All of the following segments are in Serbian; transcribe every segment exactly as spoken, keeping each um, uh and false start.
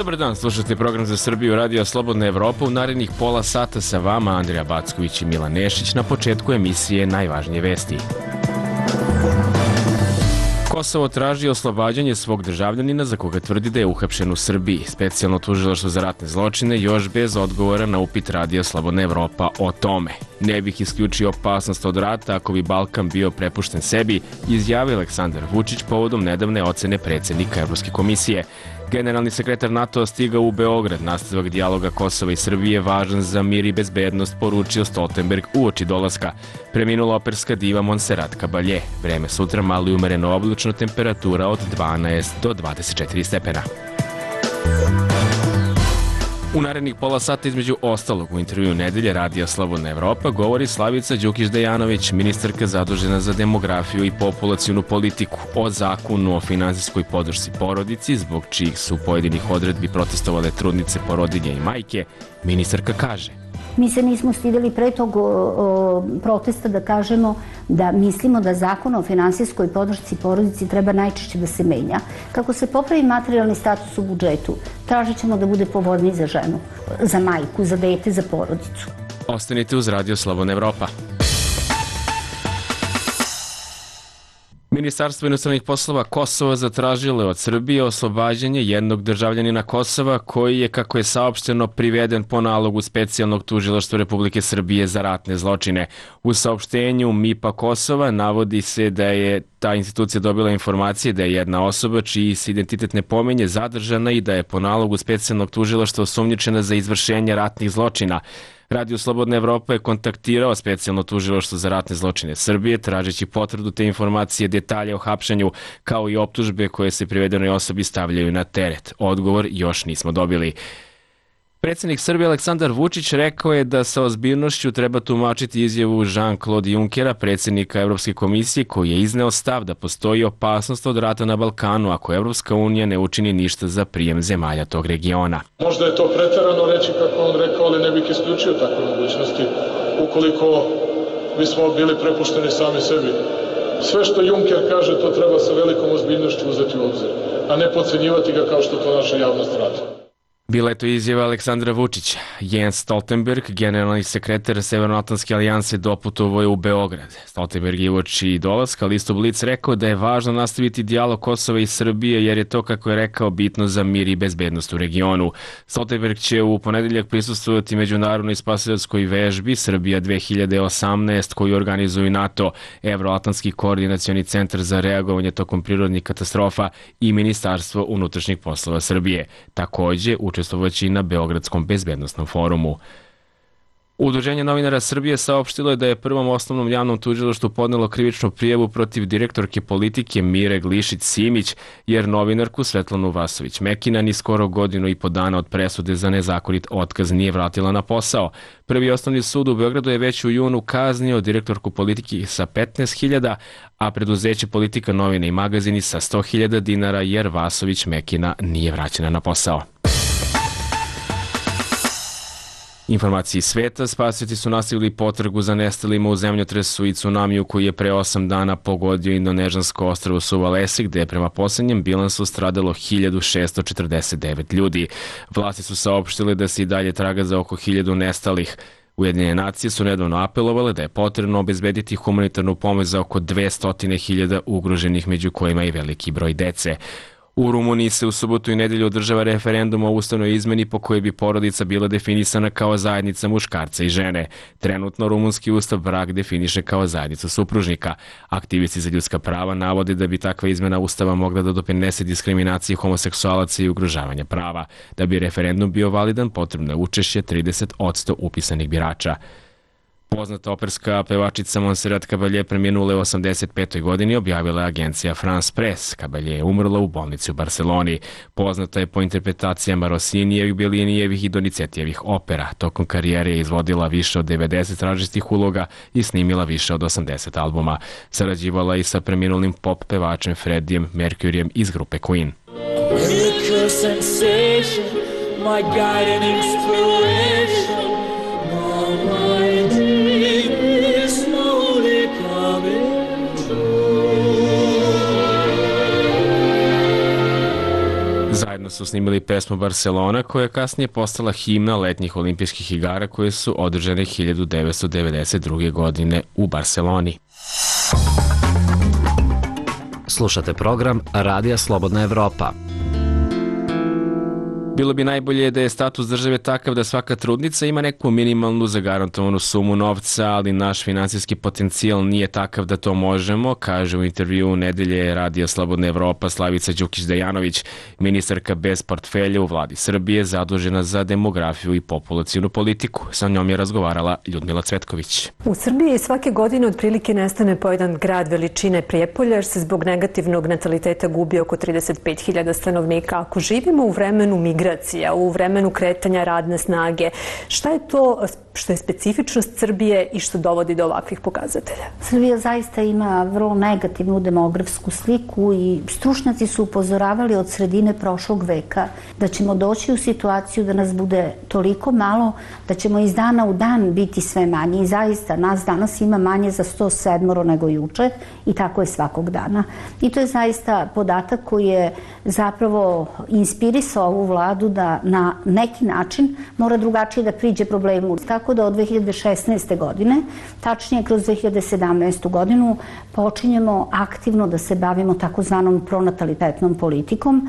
Dobar dan, slušate program za Srbiju Radio Slobodna Evropa. U narednih pola sata sa vama Andrija Backović i Milan Nešić. Na početku emisije najvažnije vesti. Kosovo traži oslobađanje svog državljanina za koga tvrdi da je uhapšen u Srbiji. Specijalno tužilaštvo za ratne zločine još bez odgovora na upit Radio Slobodna Evropa o tome. Ne bih isključio opasnost od rata ako bi Balkan bio prepušten sebi, izjavio Aleksandar Vučić povodom nedavne ocene predsjednika Evropske komisije. Generalni sekretar NATO stigao u Beograd. Nastavak dijaloga Kosova i Srbije važan za mir i bezbednost, poručio Stoltenberg uoči dolaska. Preminula operska diva Montserrat Caballé. Vreme sutra malo i umereno oblačno, temperatura od dvanaest do dvadeset četiri stepena. U narednih pola sata između ostalog u intervjuu nedelje Radija Slobodna Evropa govori Slavica Đukić-Dejanović, ministarka zadužena za demografiju i populacionu politiku, o zakonu o finansijskoj podršci porodici, zbog čijih su pojedinih odredbi protestovale trudnice, porodilje i majke. Ministarka kaže: Mi se nismo stideli pre tog o, o, protesta da kažemo da mislimo da zakon o finansijskoj podršci porodici treba najčešće da se menja. Kako se popravi materijalni status u budžetu, tražit ćemo da bude povoljniji za ženu, za majku, za dete, za porodicu. Ostanite uz Radio Slobodna Evropa. Ministarstvo inostranih poslova Kosova zatražilo je od Srbije oslobađanje jednog državljanina Kosova koji je, kako je saopšteno, priveden po nalogu specijalnog tužilaštva Republike Srbije za ratne zločine. U saopštenju M I P-a Kosova navodi se da je ta institucija dobila informacije da je jedna osoba čiji se identitet ne pominje zadržana i da je po nalogu specijalnog tužilaštva osumnjičena za izvršenje ratnih zločina. Radio Slobodna Evropa je kontaktirao specijalno tužilaštvo za ratne zločine Srbije tražeći potvrdu te informacije, detalje o hapšenju, kao i optužbe koje se privedenoj osobi stavljaju na teret. Odgovor još nismo dobili. Predsjednik Srbije Aleksandar Vučić rekao je da sa ozbiljnošću treba tumačiti izjavu Jean-Claude Junckera, predsjednika Evropske komisije, koji je izneo stav da postoji opasnost od rata na Balkanu ako Evropska unija ne učini ništa za prijem zemalja tog regiona. Možda je to preterano reći kako on rekao, ali ne bih isključio takve mogućnosti ukoliko bismo bili prepušteni sami sebi. Sve što Juncker kaže, to treba sa velikom ozbiljnošću uzeti u obzir, a ne podcenjivati ga kao što to naša javnost radi. Bila je to izjava Aleksandra Vučića. Jens Stoltenberg, generalni sekretar Severnoatlantske alijanse, doputovao je u Beograd. Stoltenberg je uoči dolaska listu Blic rekao da je važno nastaviti dijalog Kosova i Srbije jer je to, kako je rekao, bitno za mir i bezbednost u regionu. Stoltenberg će u ponedeljak prisustvovati međunarodnoj spasilačkoj vežbi Srbija dve hiljade osamnaest koju organizuju NATO, Evroatlantski koordinacioni centar za reagovanje tokom prirodnih katastrofa i Ministarstvo unutrašnjih poslova Srbije. Takođe, učestvovaći na Beogradskom bezbednostnom forumu. Udruženje novinara Srbije saopštilo je da je Prvom osnovnom javnom tužilaštvu podnelo krivičnu prijavu protiv direktorke politike Mire Glišić-Simić, jer novinarku Svetlanu Vasović-Mekina ni skoro godinu i po dana od presude za nezakonit otkaz nije vratila na posao. Prvi osnovni sud u Beogradu je već u junu kaznio direktorku politike sa petnaest hiljada, a preduzeće Politika novine i magazini sa sto hiljada dinara jer Vasović-Mekina nije vraćena na posao. Informacije iz sveta: spasioci su nastavili potragu za nestalima u zemljotresu i tsunamiju koji je pre osam dana pogodio indonežansko ostrvo Suvalesi, gde je prema poslednjem bilansu stradalo hiljadu šesto četrdeset devet ljudi. Vlasti su saopštile da se i dalje traga za oko hiljadu nestalih. Ujedinjene nacije su nedavno apelovale da je potrebno obezbediti humanitarnu pomoć za oko dvesta hiljada ugroženih, među kojima i veliki broj dece. U Rumuniji se u subotu i nedelju održava referendum o ustavnoj izmeni po kojoj bi porodica bila definisana kao zajednica muškarca i žene. Trenutno rumunski ustav brak definiše kao zajednicu supružnika. Aktivisti za ljudska prava navode da bi takva izmena ustava mogla da doprinese diskriminaciji homoseksualaca i ugrožavanja prava. Da bi referendum bio validan, potrebno je učešće trideset posto upisanih birača. Poznata operska pevačica Montserrat Caballé preminula je u osamdeset petoj godini, objavila je agencija France Press. Caballé je umrla u bolnici u Barseloni. Poznata je po interpretacijama Rossinijevih, Bellinijevih i Donizetijevih opera. Tokom karijere je izvodila više od devedeset različitih uloga i snimila više od osamdeset albuma. Sarađivala i sa preminulim pop pevačem Freddijem Mercuryjem iz grupe Queen. My guide and inspiration, my dream is slowly coming true. Zajedno su snimili pesmu Barcelona, koja je kasnije postala himna letnjih olimpijskih igara koje su održane hiljadu devetsto devedeset druge. godine u Barceloni. Slušate program Radija Slobodna Evropa. Bilo bi najbolje da je status države takav da svaka trudnica ima neku minimalnu zagarantovanu sumu novca, ali naš finansijski potencijal nije takav da to možemo, kaže u intervjuu Nedelje Radija Slobodna Evropa Slavica Đukić-Dejanović, ministarka bez portfelja u vladi Srbije zadužena za demografiju i populacionu politiku. Sa njom je razgovarala Ljudmila Cvetković. U Srbiji svake godine otprilike nestane po jedan grad veličine Prijepolja jer se zbog negativnog nataliteta gubi oko trideset pet hiljada stanovnika. Ako živimo u vremenu migracije, u vremenu kretanja radne snage. Šta je to što je specifičnost Srbije i što dovodi do ovakvih pokazatelja? Srbija zaista ima vrlo negativnu demografsku sliku i stručnjaci su upozoravali od sredine prošlog veka da ćemo doći u situaciju da nas bude toliko malo da ćemo iz dana u dan biti sve manje. I zaista nas danas ima manje za sto sedam nego juče i tako je svakog dana. I to je zaista podatak koji je zapravo inspirisao ovu vladu da na neki način mora drugačije da priđe problemu. Tako da od dve hiljade šesnaeste. godine, tačnije kroz dve hiljade sedamnaestu. godinu, počinjemo aktivno da se bavimo takozvanom pronatalitetnom politikom,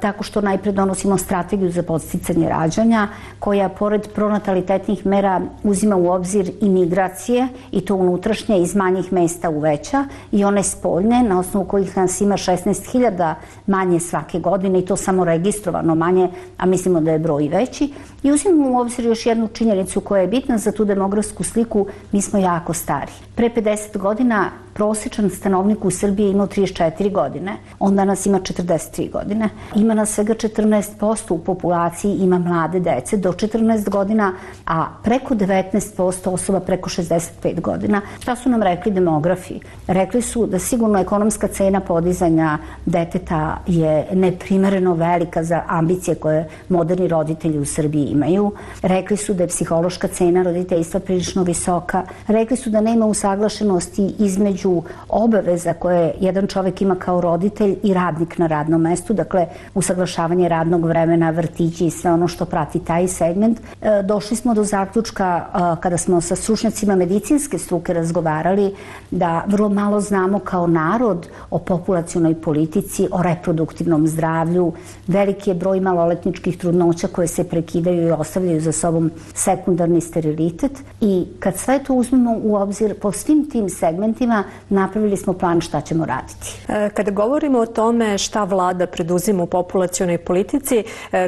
tako što najpre donosimo strategiju za podsticanje rađanja, koja pored pronatalitetnih mera uzima u obzir i migracije, i to unutrašnje iz manjih mesta u veća, i one spoljne, na osnovu kojih nas ima šesnaest hiljada manje svake godine, i to samo registrovano manje, a mislimo da je broj veći. I uzimamo u obzir još jednu činjenicu koja je bitna za tu demografsku sliku, mi smo jako stari. Pre pedeset godina prosječan stanovnik u Srbiji je imao trideset četiri godine, on danas ima četrdeset tri godine. Ima nas svega četrnaest posto u populaciji, ima mlade dece do četrnaest godina, a preko devetnaest posto osoba preko šezdeset pet godina. Šta su nam rekli demografi? Rekli su da sigurno ekonomska cena podizanja deteta je neprimereno velika za ambicije koje moderni roditelji u Srbiji imaju. Rekli su da je psihološka cena roditeljstva prilično visoka. Rekli su da nema usaglašenosti između obaveza koje jedan čovek ima kao roditelj i radnik na radnom mestu, dakle usaglašavanje radnog vremena, vrtići i sve ono što prati taj segment. Došli smo do zaključka kada smo sa stručnjacima medicinske struke razgovarali da vrlo malo znamo kao narod o populacionoj politici, o reproduktivnom zdravlju. Veliki je broj maloletničkih trudnoća koje se prekidaju i ostavljaju za sobom sekundarni sterilitet, i kad sve to uzmemo u obzir po svim tim segmentima, napravili smo plan šta ćemo raditi. Kada govorimo o tome šta vlada preduzima u populacionoj politici,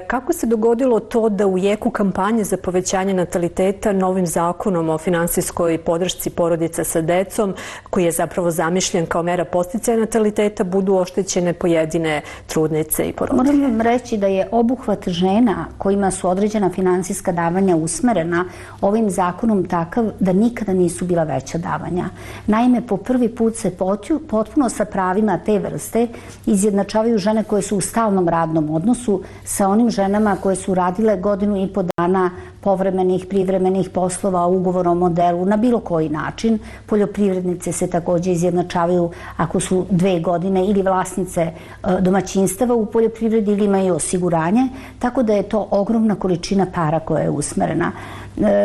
kako se dogodilo to da u jeku kampanje za povećanje nataliteta novim zakonom o finansijskoj podršci porodica sa decom, koji je zapravo zamišljen kao mera podsticaja nataliteta, budu oštećene pojedine trudnice i porodice? Moram vam reći da je obuhvat žena kojima su određena finansijska davanja usmerena ovim zakonom takav da nikada nisu bila veća davanja. Naime, po prvi put se potpuno sa pravima te vrste izjednačavaju žene koje su u stalnom radnom odnosu sa onim ženama koje su radile godinu i po dana povremenih, privremenih poslova, ugovorom o delu, na bilo koji način. Poljoprivrednice se takođe izjednačavaju ako su dve godine ili vlasnice domaćinstava u poljoprivredi ili imaju osiguranje, tako da je to ogromna količina para koja je usmerena.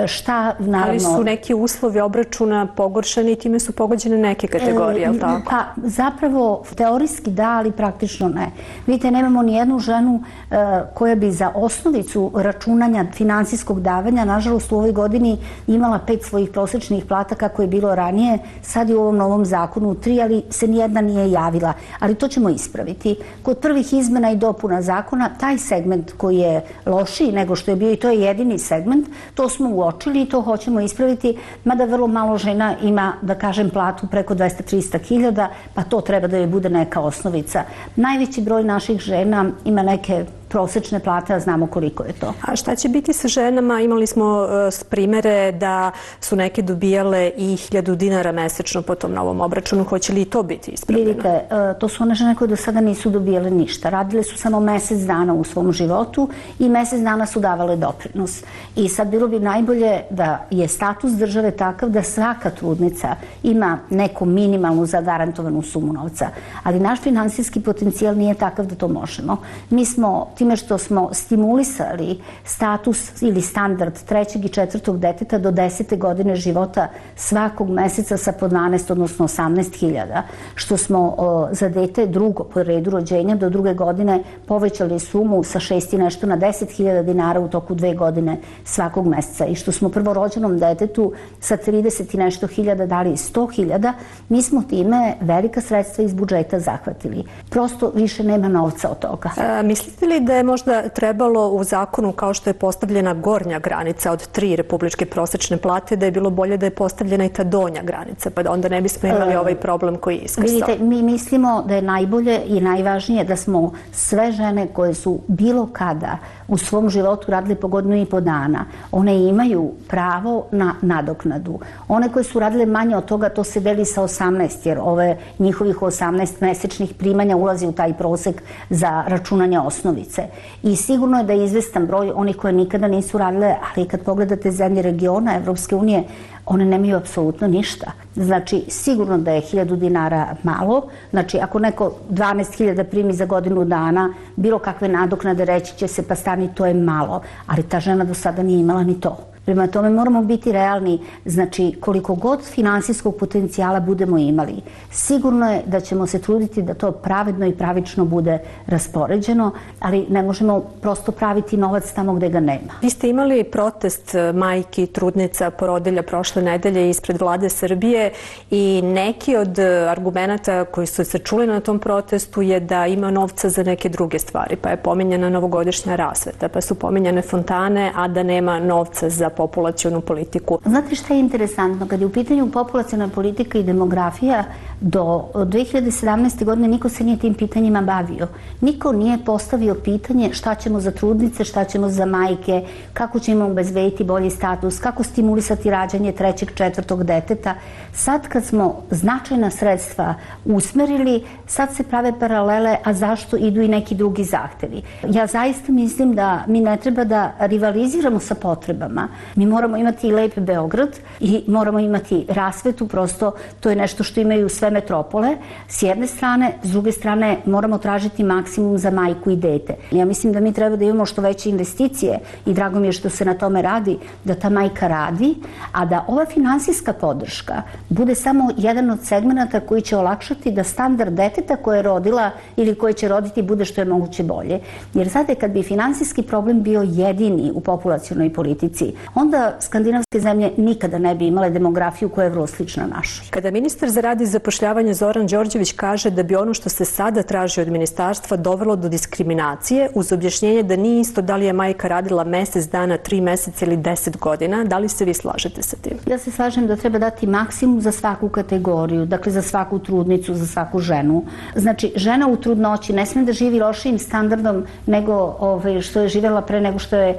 Šta, naravno... Ali su neki uslovi obračuna pogoršani i time su pogođene neke kategorije, je li tako? Pa, zapravo, teorijski da, ali praktično ne. Vidite, nemamo ni jednu ženu koja bi za osnovicu računanja finansijskog davanja, nažalost, u ovoj godini imala pet svojih prosečnih plata kako je bilo ranije, sad je u ovom novom zakonu tri, ali se nijedna nije javila. Ali to ćemo ispraviti. Kod prvih izmena i dopuna zakona, taj segment koji je lošiji nego što je bio, i to je jedini segment, to smo uočili i to hoćemo ispraviti, mada vrlo malo žena ima, da kažem, platu preko dvesta do trista hiljada, pa to treba da joj bude neka osnovica. Najveći broj naših žena ima neke prosečne plate, a znamo koliko je to. A šta će biti sa ženama? Imali smo uh, primere da su neke dobijale i hiljadu dinara mesečno po tom novom obračunu. Hoće li i to biti ispravljeno? Vidite, uh, to su one žene koje do sada nisu dobijale ništa. Radile su samo mesec dana u svom životu i mesec dana su davale doprinos. I sad bilo bi najbolje da je status države takav da svaka trudnica ima neku minimalnu zagarantovanu sumu novca. Ali naš finansijski potencijal nije takav da to možemo. Mi smo, time što smo stimulisali status ili standard trećeg i četvrtog deteta do desete godine života svakog meseca sa po dvanaest, odnosno osamnaest hiljada, što smo o, za dete drugo po redu rođenja do druge godine povećali sumu sa šest i nešto na deset hiljada dinara u toku dve godine svakog meseca i što smo prvorođenom detetu sa trideset i nešto hiljada dali sto hiljada, mi smo time velika sredstva iz budžeta zahvatili. Prosto više nema novca od toga. A, mislite li da je možda trebalo u zakonu, kao što je postavljena gornja granica od tri republičke prosečne plate, da je bilo bolje da je postavljena i ta donja granica, pa da onda ne bismo imali ovaj problem koji je iskrsao? Vidite, mi mislimo da je najbolje i najvažnije da smo sve žene koje su bilo kada u svom životu radile po godinu i po dana, one imaju pravo na nadoknadu. One koje su radile manje od toga, to se deli sa osamnaest, jer ove njihovih osamnaest mesečnih primanja ulazi u taj prosek za računanje osnovice. I sigurno je da je izvestan broj onih koje nikada nisu radile, ali kad pogledate zemlje regiona Evropske unije, one nemaju apsolutno ništa. Znači, sigurno da je hiljadu dinara malo. Znači, ako neko dvanaest hiljada primi za godinu dana, bilo kakve nadoknade reći će se pa stani, to je malo. Ali ta žena do sada nije imala ni to. Prema tome moramo biti realni, znači koliko god finansijskog potencijala budemo imali, sigurno je da ćemo se truditi da to pravedno i pravično bude raspoređeno, ali ne možemo prosto praviti novac tamo gde ga nema. Vi ste imali protest majki, trudnica, porodilja prošle nedelje ispred vlade Srbije i neki od argumenata koji su se čuli na tom protestu je da ima novca za neke druge stvari, pa je pominjena novogodišnja rasveta, pa su pominjane fontane, a da nema novca za populacionu politiku. Znate šta je interesantno? Kad je u pitanju populaciona politika i demografija, do dve hiljade sedamnaeste. godine niko se nije tim pitanjima bavio. Niko nije postavio pitanje šta ćemo za trudnice, šta ćemo za majke, kako ćemo obezbediti bolji status, kako stimulisati rađanje trećeg, četvrtog deteta. Sad kad smo značajna sredstva usmerili, sad se prave paralele, a zašto idu i neki drugi zahtevi. Ja zaista mislim da mi ne treba da rivaliziramo sa potrebama. Mi moramo imati i lep Beograd i moramo imati rasvetu, prosto to je nešto što imaju sve metropole. S jedne strane, s druge strane moramo tražiti maksimum za majku i dete. Ja mislim da mi treba da imamo što veće investicije i drago mi je što se na tome radi, da ta majka radi, a da ova finansijska podrška bude samo jedan od segmenata koji će olakšati da standard deteta koje je rodila ili koje će roditi bude što je moguće bolje. Jer znate, kad bi finansijski problem bio jedini u populacionoj politici, onda skandinavske zemlje nikada ne bi imale demografiju koja je vrlo slična našoj. Kada ministar za rad i zapošljavanje Zoran Đorđević kaže da bi ono što se sada traži od ministarstva dovelo do diskriminacije, uz objašnjenje da nije isto da li je majka radila mesec dana, tri meseca ili deset godina, da li se vi slažete sa tim? Ja se slažem da treba dati maksimum za svaku kategoriju, dakle za svaku trudnicu, za svaku ženu. Znači, žena u trudnoći ne sme da živi lošijim standardom nego ovaj, što je živjela pre nego što je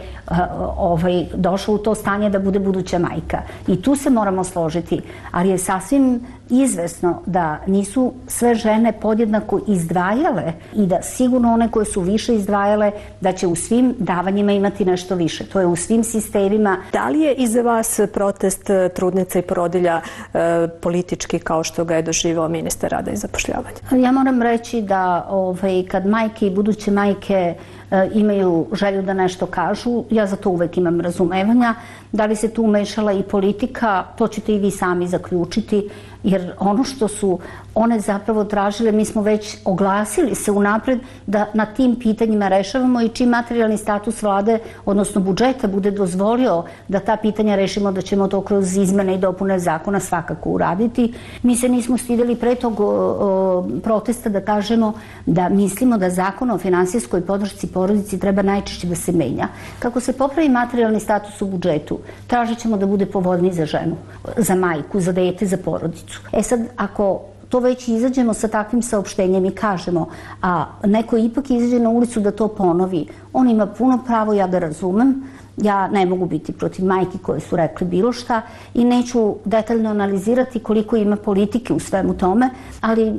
ovaj, došla u to stanje da bude buduća majka. I tu se moramo složiti, ali je sasvim izvesno da nisu sve žene podjednako izdvajale i da sigurno one koje su više izdvajale da će u svim davanjima imati nešto više. To je u svim sistemima. Da li je iza vas protest trudnica i porodilja e, politički kao što ga je doživao ministar rada i zapošljavanja? Ja moram reći da ovaj, kad majke i buduće majke e, imaju želju da nešto kažu, ja za to uvek imam razumevanja. Da li se tu umešala i politika, to ćete i vi sami zaključiti, jer ono što su one zapravo tražile, mi smo već oglasili se unapred da na tim pitanjima rešavamo i čim materijalni status vlade, odnosno budžeta, bude dozvolio da ta pitanja rešimo, da ćemo to kroz izmene i dopune zakona svakako uraditi. Mi se nismo stideli pre tog o, o, protesta da kažemo da mislimo da zakon o finansijskoj podršci porodici treba najčešće da se menja. Kako se popravi materijalni status u budžetu, tražit ćemo da bude povoljniji za ženu, za majku, za dete, za porodicu. E sad, ako to već izađemo sa takvim saopštenjem i kažemo, a neko ipak izađe na ulicu da to ponovi, on ima puno pravo, ja ga razumem. Ja ne mogu biti protiv majki koje su rekli bilo šta i neću detaljno analizirati koliko ima politike u svemu tome, ali e,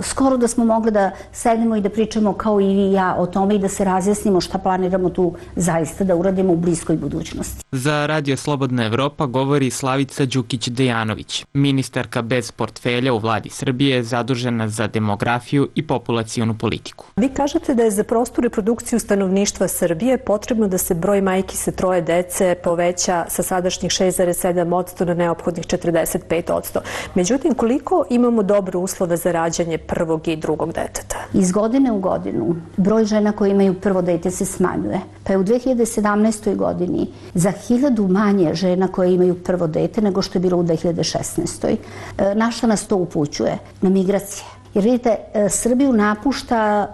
skoro da smo mogli da sednemo i da pričamo kao i vi i ja o tome i da se razjasnimo šta planiramo tu zaista da uradimo u bliskoj budućnosti. Za Radio Slobodna Evropa govori Slavica Đukić-Dejanović, ministarka bez portfelja u vladi Srbije zadužena za demografiju i populacionu politiku. Vi kažete da je za prostu reprodukciju stanovništva Srbije potrebno da se broj majki sa troje dece poveća sa sadašnjih šest zarez sedam posto na neophodnih četrdeset pet posto. Međutim, koliko imamo dobre uslove za rađanje prvog i drugog deteta? Iz godine u godinu broj žena koje imaju prvo dete se smanjuje. Pa je u dve hiljade sedamnaestoj godini za hiljadu manje žena koje imaju prvo dete nego što je bilo u dve hiljade šesnaestoj. Na šta nas to upućuje? Na migracije. Jer vidite, Srbiju napušta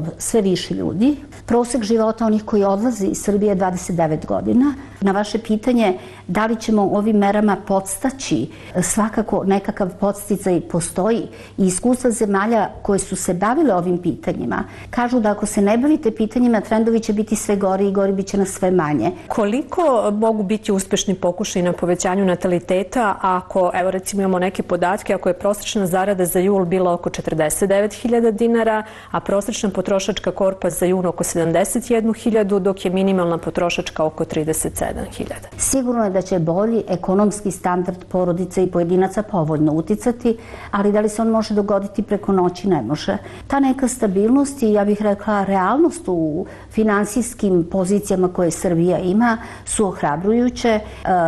uh, sve više ljudi. Prosek života onih koji odlazi iz Srbije je dvadeset devet godina. Na vaše pitanje da li ćemo ovim merama podstaći, svakako nekakav podsticaj postoji i iskustva zemalja koje su se bavile ovim pitanjima kažu da ako se ne bavite pitanjima, trendovi će biti sve gori i gori, bit će nas sve manje. Koliko mogu biti uspešni pokušaj na povećanju nataliteta ako, evo recimo imamo neke podatke, ako je prosečna zarada za jul bila oko četrdeset devet hiljada dinara, a prosečna potrošačka korpa za jun oko sedamdeset jednu hiljadu, dok je minimalna potrošačka oko trideset sedam hiljada. Sigurno je da će bolji ekonomski standard porodice i pojedinaca povoljno uticati, ali da li se on može dogoditi preko noći, ne može. Ta neka stabilnost i, ja bih rekla, realnost u finansijskim pozicijama koje Srbija ima su ohrabrujuće,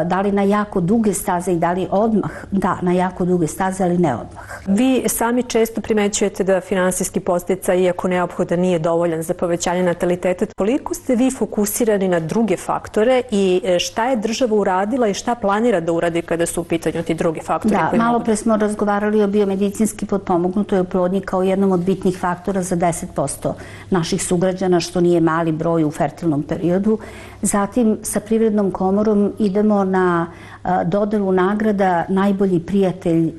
da li na jako duge staze i da li odmah, da, na jako duge staze, ali ne odmah. Vi sami često primećujete da finansijski podsticaj, iako neophodan, nije dovoljan za povećanje nataliteta. Koliko ste vi fokusirani na druge faktore i šta je država uradila i šta planira da uradi kada su u pitanju ti drugi faktori? Da, malo pre smo razgovarali o biomedicinski potpomognutoj oplodnji kao jednom od bitnih faktora za deset posto naših sugrađana, što nije mali broj u fertilnom periodu. Zatim, sa Privrednom komorom idemo na dodelu nagrada najbolji prijatelj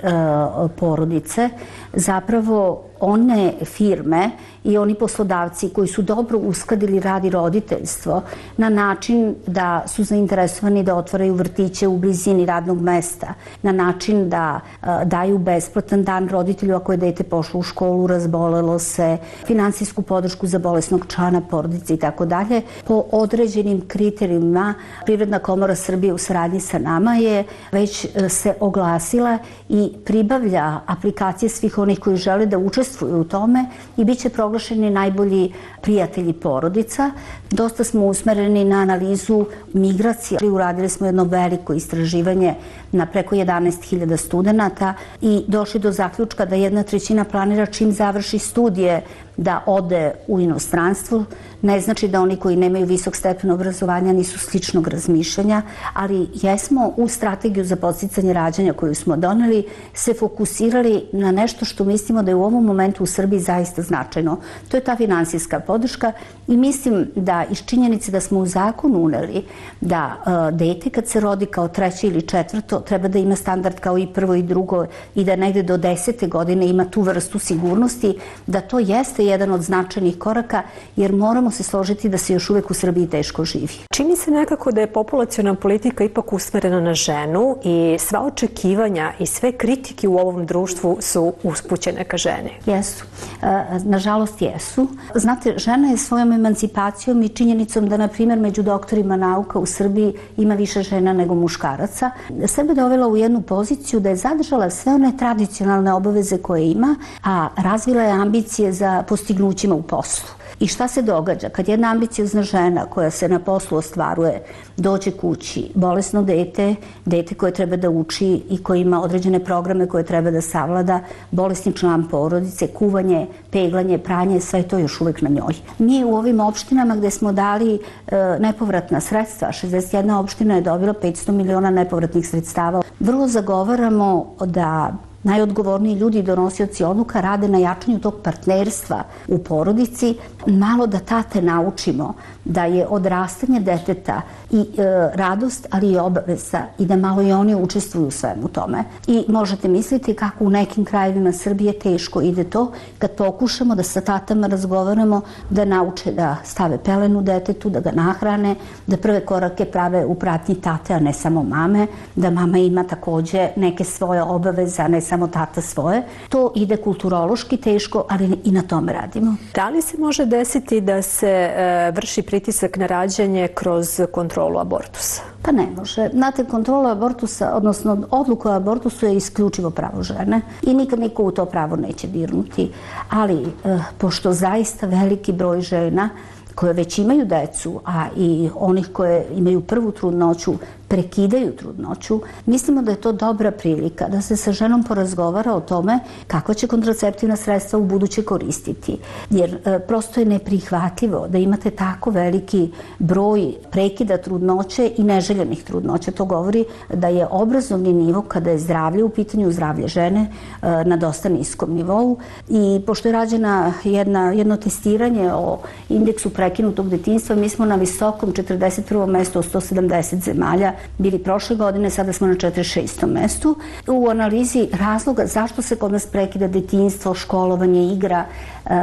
porodice. Zapravo, one firme i oni poslodavci koji su dobro uskladili rad i roditeljstvo na način da su zainteresovani da otvaraju vrtiće u blizini radnog mesta, na način da daju besplatan dan roditelju ako je dete pošlo u školu, razbolelo se, finansijsku podršku za bolesnog člana porodice i tako dalje. Po određenim kriterijima Privredna komora Srbije u saradnji sa nama je već se oglasila i pribavlja aplikacije svih onih koji žele da učestvuju u tome i bit će proglašeni najbolji prijatelji porodica. Dosta smo usmereni na analizu migracija. Uradili smo jedno veliko istraživanje na preko jedanaest hiljada studenta i došli do zaključka da jedna trećina planira čim završi studije da ode u inostranstvo. Ne znači da oni koji nemaju visok stepen obrazovanja nisu sličnog razmišljanja, ali jesmo u strategiju za podsticanje rađanja koju smo doneli se fokusirali na nešto što mislimo da je u ovom momentu u Srbiji zaista značajno. To je ta finansijska podrška i mislim da iz činjenice da smo u zakonu uneli da uh, dete kad se rodi kao treće ili četvrto treba da ima standard kao i prvo i drugo i da negde do desete godine ima tu vrstu sigurnosti, da to jeste jedan od značajnih koraka, jer moramo se složiti da se još uvek u Srbiji teško živi. Čini se nekako da je populaciona politika ipak usmerena na ženu i sva očekivanja i sve kritike u ovom društvu su uspućene ka ženi. Jesu. Nažalost jesu. Znate, žena je svojom emancipacijom i činjenicom da, na primjer, među doktorima nauka u Srbiji ima više žena nego muškaraca, sebe dovela u jednu poziciju da je zadržala sve one tradicionalne obaveze koje ima, a razvila je ambicije za postignućima u poslu. I šta se događa? Kad jedna ambiciozna žena koja se na poslu ostvaruje dođe kući, bolesno dete, dete koje treba da uči i koje ima određene programe koje treba da savlada, bolesni član porodice, kuvanje, peglanje, pranje, sve to još uvek na njoj. Mi u ovim opštinama gde smo dali e, nepovratna sredstva, šezdeset jedna opština je dobila petsto miliona nepovratnih sredstava, vrlo zagovaramo da najodgovorniji ljudi i donosioci odluka rade na jačanju tog partnerstva u porodici malo da tate naučimo da je odrastanje deteta i e, radost, ali i obaveza i da malo i oni učestvuju u svemu tome. I možete misliti kako u nekim krajevima Srbije teško ide to kad pokušamo da sa tatama razgovaramo, da nauče da stave pelenu detetu, da ga nahrane, da prve korake prave u pratnji tate, a ne samo mame, da mama ima takođe neke svoje obaveze, a ne samo tata svoje. To ide kulturološki teško, ali i na tome radimo. Da li se može desiti da se e, vrši pritisak na rađanje kroz kontrolu abortusa? Pa ne može. Znate, kontrola abortusa, odnosno odluka o abortusu je isključivo pravo žene i nikad niko u to pravo neće dirnuti. Ali, e, pošto zaista veliki broj žena koje već imaju decu, a i onih koje imaju prvu trudnoću, prekidaju trudnoću, mislimo da je to dobra prilika da se sa ženom porazgovara o tome kako će kontraceptivna sredstva u buduće koristiti. Jer e, prosto je neprihvatljivo da imate tako veliki broj prekida trudnoće i neželjenih trudnoća. To govori da je obrazovni nivo, kada je zdravlje u pitanju, zdravlje žene, e, na dosta niskom nivou. I pošto je rađena jedna, jedno testiranje o indeksu prekinutog detinjstva, mi smo na visokom četrdeset prvom mestu od sto sedamdeset zemalja bili prošle godine, sada smo na četrdeset šestom mestu. U analizi razloga zašto se kod nas prekida detinjstvo, školovanje, igra,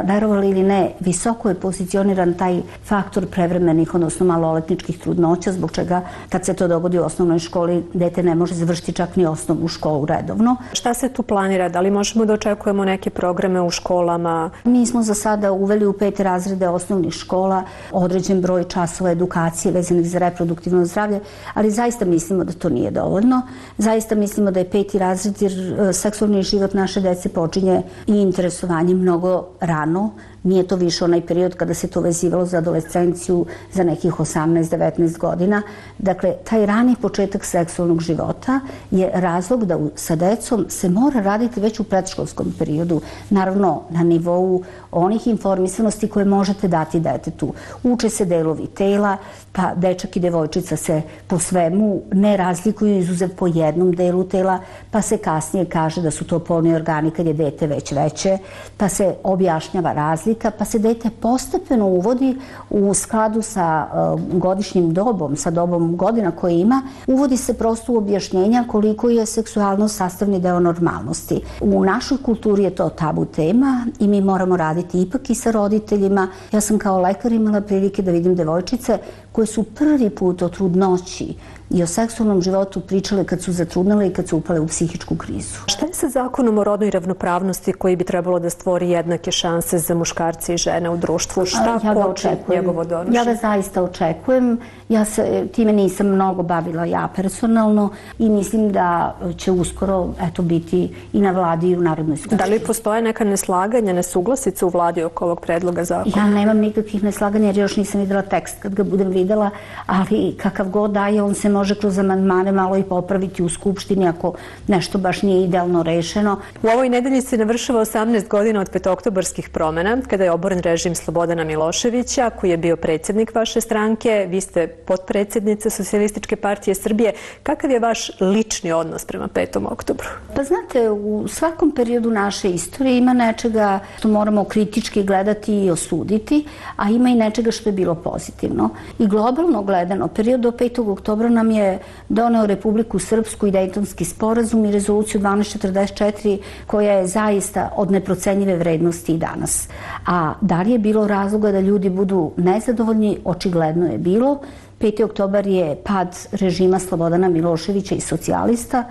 verovali ili ne, visoko je pozicioniran taj faktor prevremenih, odnosno maloletničkih trudnoća, zbog čega kad se to dogodi u osnovnoj školi, dete ne može završiti čak ni osnovnu školu redovno. Šta se tu planira? Da li možemo da očekujemo neke programe u školama? Mi smo za sada uveli u pete razrede osnovnih škola određen broj časova edukacije vezanih za reproduktivno zdravlje, ali zaista mislimo da to nije dovoljno. Zaista mislimo da je peti razred jer seksualni život naše dece počinje i interesovanje mnogo rano. Nije to više onaj period kada se to vezivalo za adolescenciju za nekih osamnaest devetnaest godina. Dakle, taj rani početak seksualnog života je razlog da sa decom se mora raditi već u predškolskom periodu. Naravno, na nivou onih informisanosti koje možete dati detetu. Uče se delovi tela, pa dečak i devojčica se po svemu ne razlikuju izuzev po jednom delu tela, pa se kasnije kaže da su to polni organi kad je dete već veće, pa se objašnjava razlika, pa se dete postepeno uvodi u skladu sa uh, godišnjim dobom, sa dobom godina koje ima, uvodi se prosto u objašnjenja koliko je seksualnost sastavni deo normalnosti. U našoj kulturi je to tabu tema i mi moramo raditi ipak i sa roditeljima. Ja sam kao lekar imala prilike da vidim devojčice koje su prvi put o trudnoći i o seksualnom životu pričale kad su zatrudnele i kad su upale u psihičku krizu. Šta je sa zakonom o rodnoj ravnopravnosti koji bi trebalo da stvori jednake šanse za muškarce i žene u društvu? Šta ja koči njegovo donošenje? Ja ga zaista očekujem. Ja se time nisam mnogo bavila ja personalno i mislim da će uskoro eto, biti i na vladi i u Narodnoj skupštini. Da li postoje neka neslaganja, nesuglasice u vladi oko ovog predloga zakona? Ja nemam nikakvih neslaganja jer još nisam videla tekst kad ga budem videla, ali kakav god daje, on se može kroz amandmane malo i popraviti u Skupštini ako nešto baš nije idealno rešeno. U ovoj nedelji se navršava osamnaest godina od petooktobarskih promena, kada je oboren režim Slobodana Miloševića, koji je bio predsjednik vaše stranke. Vi ste potpredsjednica Socijalističke partije Srbije. Kakav je vaš lični odnos prema petom oktobru? Pa znate, u svakom periodu naše istorije ima nečega što moramo kritički gledati i osuditi, a ima i nečega što je bilo pozitivno. I globalno gledano, period do petog oktobra nam je doneo Republiku Srpsku i Dejtonski sporazum i rezoluciju dvanaest četrdeset četiri koja je zaista od neprocenjive vrednosti i danas. A da li je bilo razloga da ljudi budu nezadovoljni? Očigledno je bilo. peti oktobar je pad režima Slobodana Miloševića i socijalista,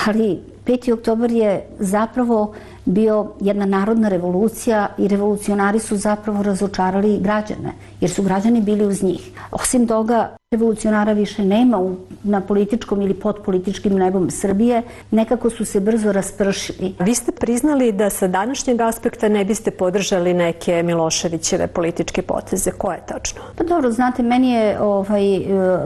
ali peti oktobar je zapravo bio jedna narodna revolucija i revolucionari su zapravo razočarali građane, jer su građani bili uz njih. Osim toga, revolucionara više nema u, na političkom ili pod političkim nebom Srbije, nekako su se brzo raspršili. Vi ste priznali da sa današnjeg aspekta ne biste podržali neke Miloševićeve političke poteze. Koje je tačno? Pa dobro, znate, meni je ovaj,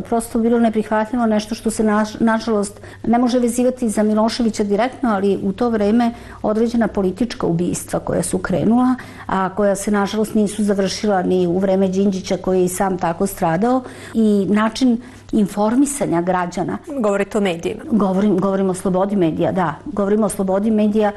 prosto bilo neprihvatljivo nešto što se naš, nažalost ne može vezivati za Miloševića direktno, ali u to vreme određena politička ubistva koja su krenula, a koja se nažalost nisu završila ni u vreme Đinđića koji je i sam tako stradao i način informisanja građana. Govorite o medijima? Govorim, govorim o slobodi medija, da. Govorimo o slobodi medija,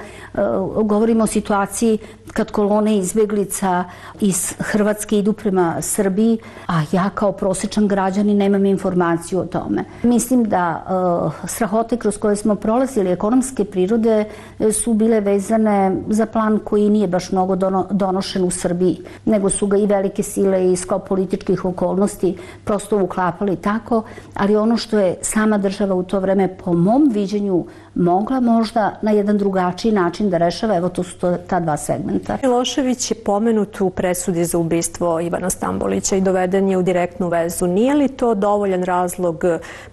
govorimo o situaciji kad kolone izbjeglica iz Hrvatske idu prema Srbiji, a ja kao prosječan građanin nemam informaciju o tome. Mislim da uh, strahote kroz koje smo prolazili, ekonomske prirode, su bile vezane za plan koji nije baš mnogo dono, donošen u Srbiji, nego su ga i velike sile i skop političkih okolnosti prosto uklapali tako, ali ono što je sama država u to vreme, po mom viđenju, mogla možda na jedan drugačiji način da rešava, evo to su to, ta dva segmenta. Milošević je pomenut u presudi za ubistvo Ivana Stambolića i doveden je u direktnu vezu. Nije li to dovoljan razlog,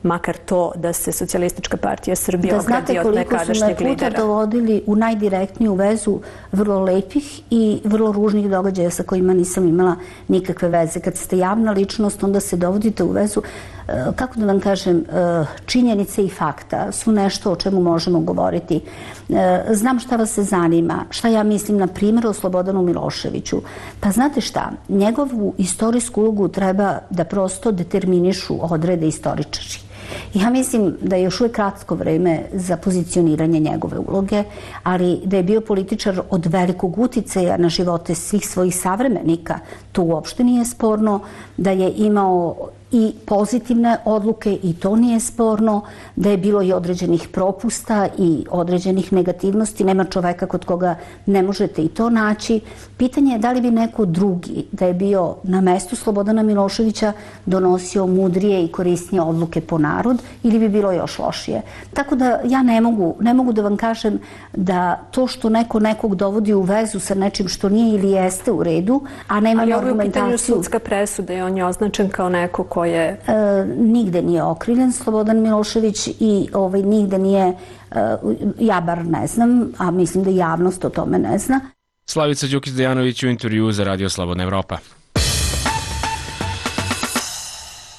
makar to, da se Socijalistička partija Srbije ogradi od nekadašnjeg lidera? Da znate koliko su me puta dovodili u najdirektniju vezu vrlo lepih i vrlo ružnih događaja sa kojima nisam imala nikakve veze. Kad ste javna ličnost, onda se dovodite u vezu, kako da vam kažem, činjenice i fakta su nešto o čemu možemo govoriti. Znam šta vas se zanima, šta ja mislim, na primjer, o Slobodanu Miloševiću. Pa znate šta, njegovu istorijsku ulogu treba da prosto determinišu, odrede istoričari. Ja mislim da je još uvijek kratko vreme za pozicioniranje njegove uloge, ali da je bio političar od velikog uticaja na živote svih svojih savremenika, to uopšte nije sporno, da je imao i pozitivne odluke i to nije sporno, da je bilo i određenih propusta i određenih negativnosti. Nema čoveka kod koga ne možete i to naći. Pitanje je da li bi neko drugi, da je bio na mestu Slobodana Miloševića, donosio mudrije i korisnije odluke po narod ili bi bilo još lošije. Tako da ja ne mogu, ne mogu da vam kažem da to što neko nekog dovodi u vezu sa nečim što nije ili jeste u redu, a nema argumentaciju. Ali ovo je u pitanju sudska presuda i on je označen kao neko ko je... E, nigde nije okrivljen Slobodan Milošević i ovaj, nigde nije, e, ja bar ne znam, a mislim da javnost o tome ne zna. Slavica Đukić-Dejanović u intervju za Radio Slobodna Evropa.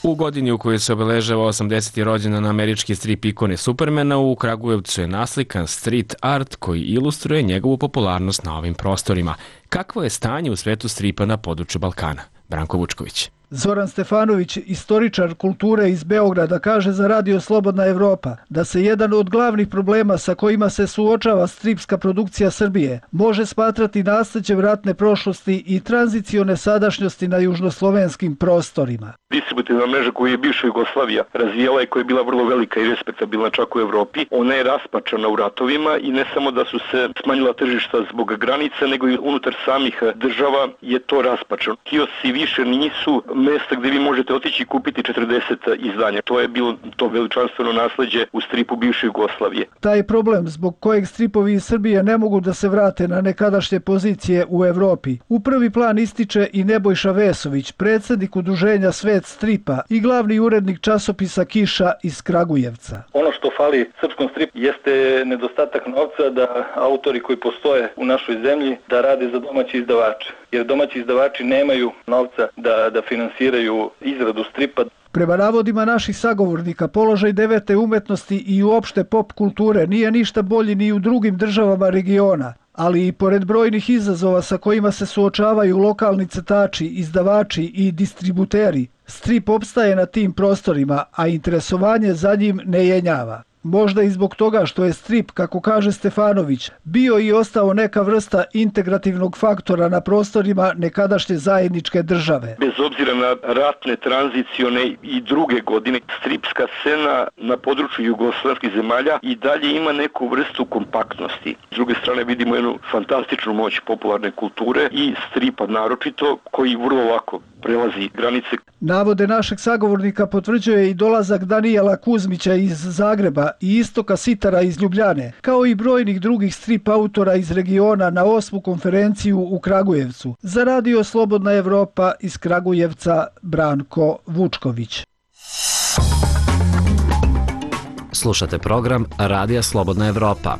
U godini u kojoj se obeležava osamdeseti rođendan američki strip ikone Supermana, u Kragujevcu je naslikan street art koji ilustruje njegovu popularnost na ovim prostorima. Kakvo je stanje u svetu stripa na području Balkana? Branko Vučković. Zoran Stefanović, istoričar kulture iz Beograda, kaže za Radio Slobodna Evropa da se jedan od glavnih problema sa kojima se suočava stripska produkcija Srbije može smatrati nasleđem ratne prošlosti i tranzicione sadašnjosti na južnoslovenskim prostorima. Distributivna mreža koju je bivša Jugoslavija razvijala i koja je bila vrlo velika i respektabilna čak u Evropi, ona je raspačana u ratovima i ne samo da su se smanjila tržišta zbog granica, nego i unutar samih država je to raspačano. Kiosi više nisu mesta gdje vi možete otići i kupiti četrdeset izdanja. To je bilo to veličanstveno nasleđe u stripu bivše Jugoslavije. Taj problem zbog kojeg stripovi iz Srbije ne mogu da se vrate na nekadašnje pozicije u Evropi, u prvi plan ističe i Nebojša Vesović, predsjednik udruženja Svet stripa i glavni urednik časopisa Kiša iz Kragujevca. Ono što fali srpskom stripu jeste nedostatak novca da autori koji postoje u našoj zemlji da rade za domaći izdavače. Jer domaći izdavači nemaju novca da, da finansiraju izradu stripa. Prema navodima naših sagovornika, položaj devete umetnosti i uopšte pop kulture nije ništa bolji ni u drugim državama regiona, ali i pored brojnih izazova sa kojima se suočavaju lokalni crtači, izdavači i distributeri, strip opstaje na tim prostorima, a interesovanje za njim ne jenjava. Možda i zbog toga što je strip, kako kaže Stefanović, bio i ostao neka vrsta integrativnog faktora na prostorima nekadašnje zajedničke države. Bez obzira na ratne, tranzicione i druge godine, stripska scena na području jugoslavskih zemalja i dalje ima neku vrstu kompaktnosti. S druge strane vidimo jednu fantastičnu moć popularne kulture i stripa naročito, koji vrlo lako prelazi granice. Navode našeg sagovornika potvrđuje i dolazak Danijela Kuzmića iz Zagreba i Istoka Sitara iz Ljubljane, kao i brojnih drugih strip autora iz regiona na osmu konferenciju u Kragujevcu. Za Radio Slobodna Evropa iz Kragujevca, Branko Vučković. Slušate program Radija Slobodna Evropa.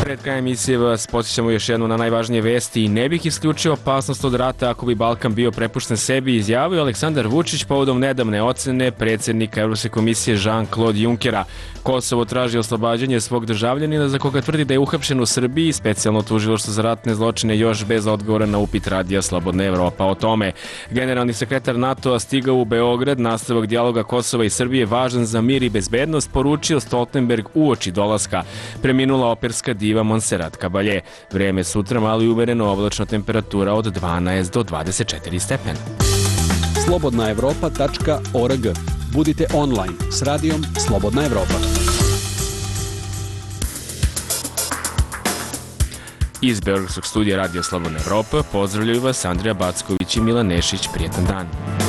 Pred kraja emisije vas podsjećamo još jednu na najvažnije vesti i ne bih isključio opasnost od rata ako bi Balkan bio prepušten sebi, izjavio Aleksandar Vučić povodom nedavne ocene predsjednika Evropske komisije Jean-Claude Junckera. Kosovo traži oslobađanje svog državljanina za koga tvrdi da je uhapšen u Srbiji, specijalno tužilaštvo za ratne zločine još bez odgovora na upit Radija Slobodna Evropa o tome. Generalni sekretar NATO-a stigao u Beograd, nastavak dijaloga Kosova i Srbije važan za mir i bezbednost, poručio Stoltenberg uoči dolaska. Preminula operska diva Montserrat Caballé. Vreme sutra malo i umereno, oblačna temperatura od dvanaest do dvadeset četiri stepena. slobodna evropa tačka org. Budite online s radijom Slobodna Evropa. Iz Beogradskog studija Radio Slobodna Evropa pozdravljaju vas Andrija Backović i Milan Nešić. Prijetan dan.